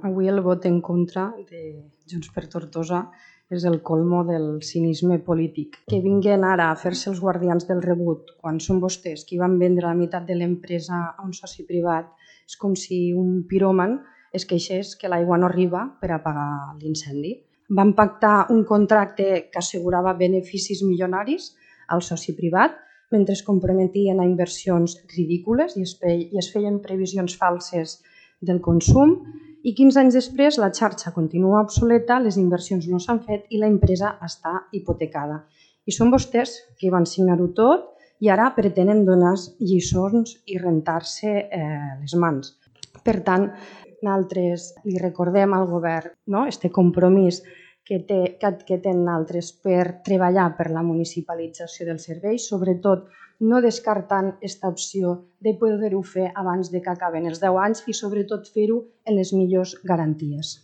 Avui el vot en contra de Junts per Tortosa és el colmo del cinisme polític. Que vinguin ara a fer-se els guardians del rebut quan són vostès qui van vendre la meitat de l'empresa a un soci privat és com si un piròman es queixés que l'aigua no arriba per apagar l'incendi. Van pactar un contracte que assegurava beneficis milionaris al soci privat mentre es comprometien a inversions ridícules i es feien previsions falses del consum i 15 anys després la xarxa continua obsoleta, les inversions no s'han fet i l'empresa està hipotecada. I són vostès qui van signar-ho tot i ara pretenen donar lliçons i rentar-se les mans. Per tant, nosaltres li recordem al govern este compromís que tenen altres per treballar per la municipalització dels serveis, sobretot no descartant aquesta opció de poder-ho fer abans que acaben els 10 anys i sobretot fer-ho en les millors garanties.